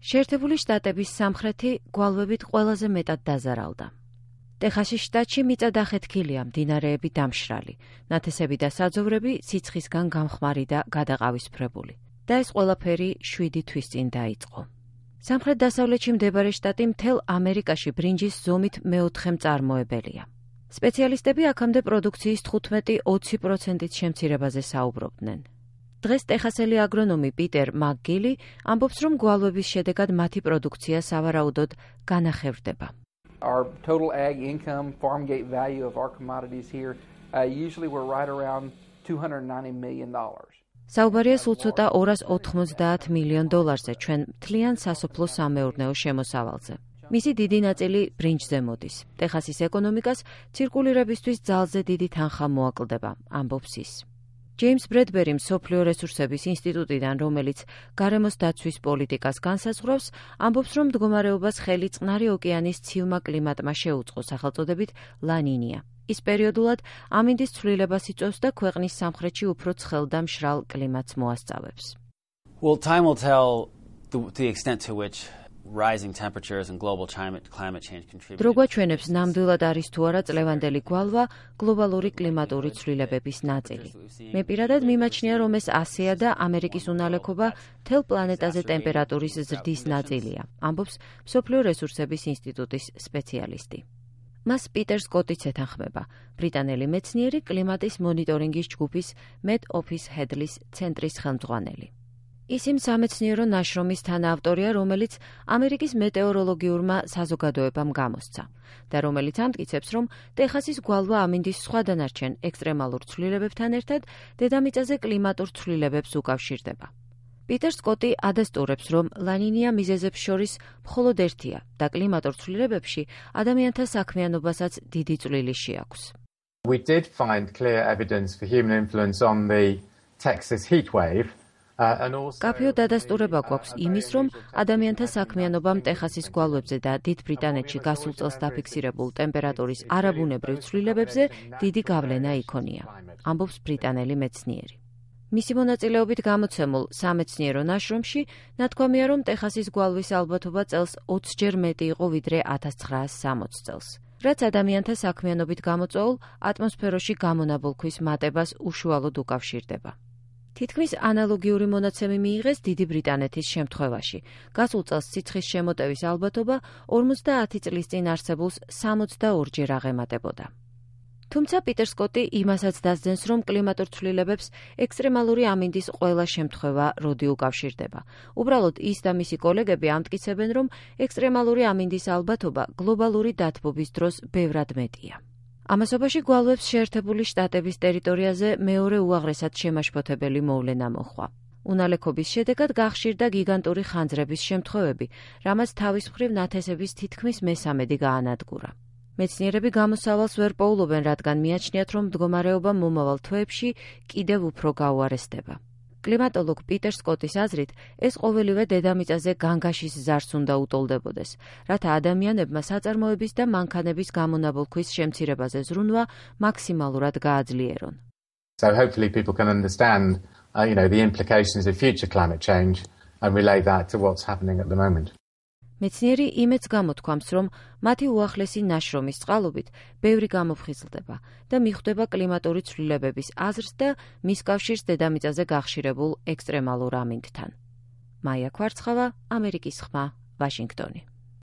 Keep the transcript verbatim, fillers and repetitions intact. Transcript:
შეერთებული შტატების სამხრეთი გვალვებით ყველაზე მეტად დაზარალდა. ტეხასის შტატში მიწადახეთქილია, მდინარეები დამშრალი, ნათესები და საძოვრები სიცხისგან გამხმარი და გადაყავისფრებული. და ეს ყველაფერი შვიდი თვის წინ დაიწყო. სამხრეთ-დასავლეთში მდებარე შტატი მთელ ამერიკაში ბრინჯის ზომით მეოთხე მწარმოებელია. სპეციალისტები აქამდე პროდუქციის თხუთმეტი ოცი პროცენტით შემცირებაზე საუბრობდნენ. დღეს ტეხასელი აგრონომი პიტერ მაკგილი ამბობს, რომ გვალვების შედეგად მათი პროდუქცია სავარაუდოდ განახევრდება. Our total ag income, farm gate value of our commodities here, uh, usually we're right around two hundred ninety million dollars. საუბარია სულ ცოტა ორას ოთხმოცდაათ მილიონ დოლარზე ჩვენ მთლიან სასოფლო-სამეურნეო შემოსავალზე. მისი დიდი ნაწილი ბრინჯზე მოდის. ტეხასის ეკონომიკას ცირკულირებისთვის ძალზე დიდი თანხა მოაკლდება, ამბობს ის. ჯეიმს ბრედბერი მსოფლიო რესურსების ინსტიტუტიდან, რომელიც გარემოს დაცვის პოლიტიკას განსაზღვრავს, ამბობს, რომ მდგომარეობას ხელი წყნარი ოკეანის ცივმა კლიმატმა შეუწყო სახელწოდებით ლანინია. ის პერიოდულად ამინდის ცვლილებას იწვევს და ქვეყნის სამხრეთში უფრო ცხელ და მშრალ კლიმატს მოასწავებს. Well, time will tell the, the extent to which rising temperatures and global climate, climate change contribute. დრო გვაჩვენებს ნამდვილად არის თუ არა წლევანდელი გვალვა გლობალური კლიმატური ცვლილებების ნაწილი. მე პირადად მიმაჩნია, რომ ეს ასეა და ამერიკის უნალექობა მთელ პლანეტაზე ტემპერატურის ზრდის ნაწილია, ამბობს მსოფლიო რესურსების ინსტიტუტის სპეციალისტი. მას პიტერ სკოტიც ეთანხმება, ბრიტანელი მეცნიერი კლიმატის მონიტორინგის ჯგუფის Met Office Headlis ცენტრის ხელმძღვანელი. ის იმ სამეცნიერო ნაშრომის თანაავტორია, რომელიც ამერიკის მეტეოროლოგიურმა საზოგადოებამ გამოსცა და რომელიც ამტკიცებს, რომ ტეხასის გვალვა ამინდის სხვა დანარჩენ ექსტრემალურ ცვლილებებთან ერთად დედამიწაზე კლიმატურ ცვლილებებს უკავშირდება. პიტერ სკოტი ადასტურებს, რომ ლანინია მიზეზებს შორის მხოლოდ ერთია და კლიმატურ ცვლილებებში ადამიანთა საქმიანობასაც დიდი წვლილი შეაქვს. We did find clear evidence for human influence on the Texas heat wave. კაფეო დადასტურება გვაქვს იმის, რომ ადამიანთა საქმიანობამ ტეხასის გვალვებზე და დიდ ბრიტანეთში გასულ წელს დაფიქსირებულ ტემპერატურის არაბუნებრივ ცვლილებებზე დიდი გავლენა იქონია, ამბობს ბრიტანელი მეცნიერი. მისი მონაწილეობით გამოცემულ სამეცნიერო ნაშრომში ნათქვამია, რომ ტეხასის გვალვის ალბათობა წელს ოცჯერ მეტი იყო ვიდრე ათას ცხრაას სამოცი წელს, რაც ადამიანთა საქმიანობით გამოწვეულ ატმოსფეროში გამონაბოლქვის მატებას უშუალოდ უკავშირდება. თითქმის ანალოგიური მონაცემი მიიღეს დიდი ბრიტანეთის შემთხვევაში. გასულ წელს სიცხის შემოტევის ალბათობა ორმოცდაათი წლის წინ არსებულს სამოცდაორჯერ აღემატებოდა. თუმცა პიტერ სკოტი იმასაც დასძენს, რომ კლიმატურ ცვლილებებს ექსტრემალური ამინდის ყველა შემთხვევა როდი უკავშირდება. უბრალოდ ის და მისი კოლეგები ამტკიცებენ, რომ ექსტრემალური ამინდის ალბათობა გლობალური დათბობის დროს ბევრად მეტია. ამასობაში გვალვებს შეერთებული შტატების ტერიტორიაზე მეორე უაღრესად შემაშფოთებელი მოვლენა მოჰყვა. უნალექობის შედეგად გახშირდა გიგანტური ხანძრების შემთხვევები, რამაც თავის მხრივ ნათესების თითქმის მესამედი გაანადგურა. მეცნიერები გამოსავალს ვერ პოულობენ, რადგან მიაჩნიათ, რომ მდგომარეობა მომავალ თვეებში კიდევ უფრო გაუარესდება. კლიმატოლოგ პიტერ სკოტის აზრით, ეს ყოველივე დედამიწაზე განგაშის ზარს უნდა უტოლდებოდეს, რათა ადამიანებმა საწარმოების და მანქანების გამონაბოლქვის შემცირებაზე ზრუნვა მაქსიმალურად გააძლიერონ. So hopefully people can understand, uh, you know, the implications of future climate change and relate that to what's happening at the moment. მეცნიერი იმეც გამოთქვამს, რომ მათი უახლესი ნაშრომის წყალობით ბევრი გამოფხიზლდება და მიხვდება კლიმატური ცვლილებების აზრს და მის კავშირს დედამიწაზე გახშირებულ ექსტრემალურ ამინდთან. მაია ქვარცხავა, ამერიკის ხმა, ვაშინგტონი.